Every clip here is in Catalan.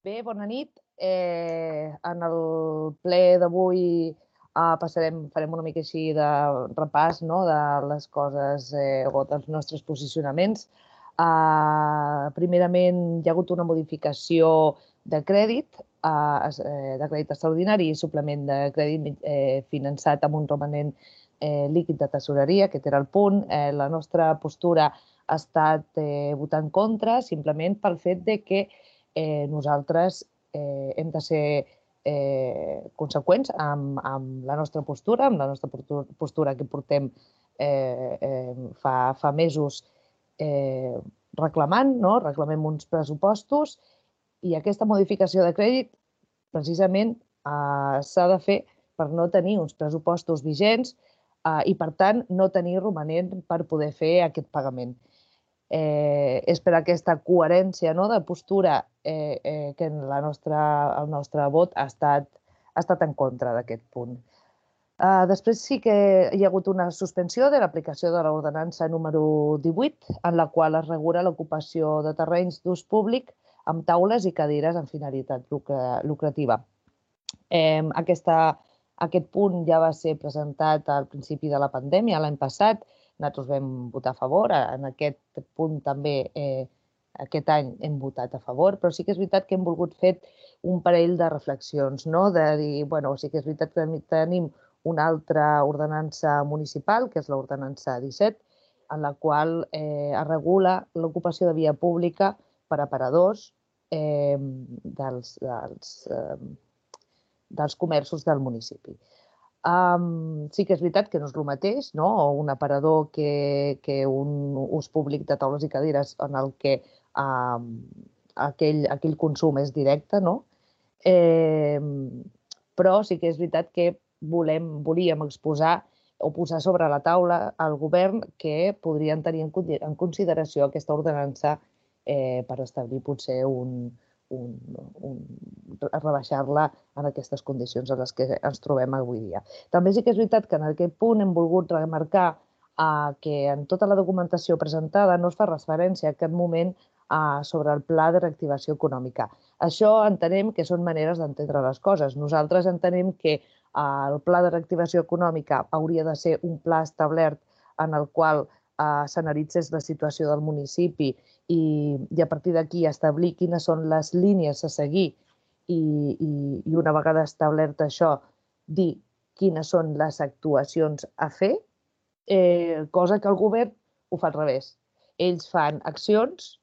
Bé, bona nit. En el ple d'avui farem una mica així de repàs de les coses o dels nostres posicionaments. Primerament, hi ha hagut una modificació de crèdit extraordinari i suplement de crèdit finançat amb un romanent líquid de tesoreria, aquest era el punt. La nostra postura ha estat votar en contra simplement pel fet de que nosaltres hem de ser conseqüents amb la nostra postura, que portem fa mesos reclamant, reclamem uns pressupostos i aquesta modificació de crèdit precisament s'ha de fer per no tenir uns pressupostos vigents i, per tant, no tenir romanent per poder fer aquest pagament. És per aquesta coherència de postura que el nostre vot ha estat en contra d'aquest punt. Després sí que hi ha hagut una suspensió de l'aplicació de l'ordenança número 18, en la qual es regula l'ocupació de terrenys d'ús públic amb taules i cadires amb finalitat lucrativa. Aquest punt ja va ser presentat al principi de la pandèmia, l'any passat. Nosaltres vam votar a favor. En aquest punt també aquest any hem votat a favor, però sí que és veritat que hem volgut fer un parell de reflexions, de dir, bueno, sí que és veritat que tenim una altra ordenança municipal, que és l'ordenança 17, en la qual es regula l'ocupació de via pública per aparadors dels comerços del municipi. Sí que és veritat que no és el mateix, un aparador que un ús públic de taules i cadires en el que aquell consum és directe, però sí que és veritat que volíem exposar o posar sobre la taula al govern que podrien tenir en consideració aquesta ordenança per establir potser rebaixar-la en aquestes condicions en les que ens trobem avui dia. També sí que és veritat que en aquest punt hem volgut remarcar que en tota la documentació presentada no es fa referència en cap moment sobre el pla de reactivació econòmica. Això entenem que són maneres d'entendre les coses. Nosaltres entenem que el pla de reactivació econòmica hauria de ser un pla establert en el qual s'analitzés la situació del municipi i a partir d'aquí establir quines són les línies a seguir i una vegada establert això, dir quines són les actuacions a fer, cosa que el govern ho fa al revés. Ells fan accions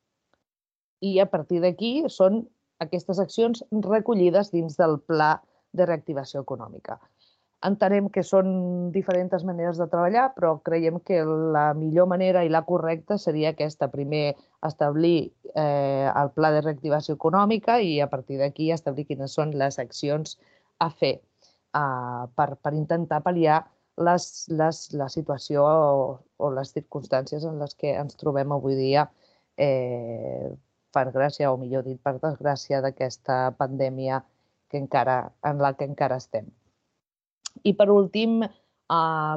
i a partir d'aquí són aquestes accions recollides dins del pla de reactivació econòmica. Entenem que són diferents maneres de treballar, però creiem que la millor manera i la correcta seria aquesta. Primer, establir el pla de reactivació econòmica i a partir d'aquí establir quines són les accions a fer per intentar pal·liar la situació o les circumstàncies en les que ens trobem avui dia per gràcia, o millor dit, per desgràcia d'aquesta pandèmia en la que encara estem. I per últim,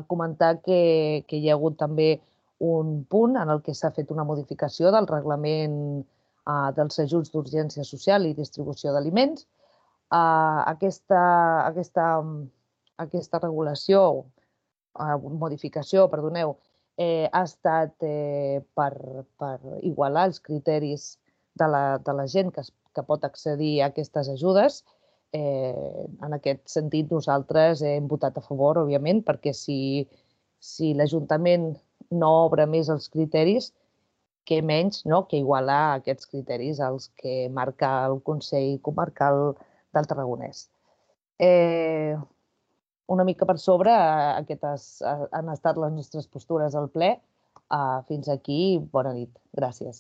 comentar que hi ha hagut també un punt en el que s'ha fet una modificació del reglament dels ajuts d'urgència social i distribució d'aliments. Aquesta modificació, ha estat per igualar els criteris de la gent que pot accedir a aquestes ajudes. En aquest sentit, nosaltres hem votat a favor, òbviament, perquè si l'Ajuntament no obre més els criteris, què menys que igualar aquests criteris als que marca el Consell Comarcal del Tarragonès. Una mica per sobre, aquestes han estat les nostres postures al ple. Fins aquí, bona nit. Gràcies.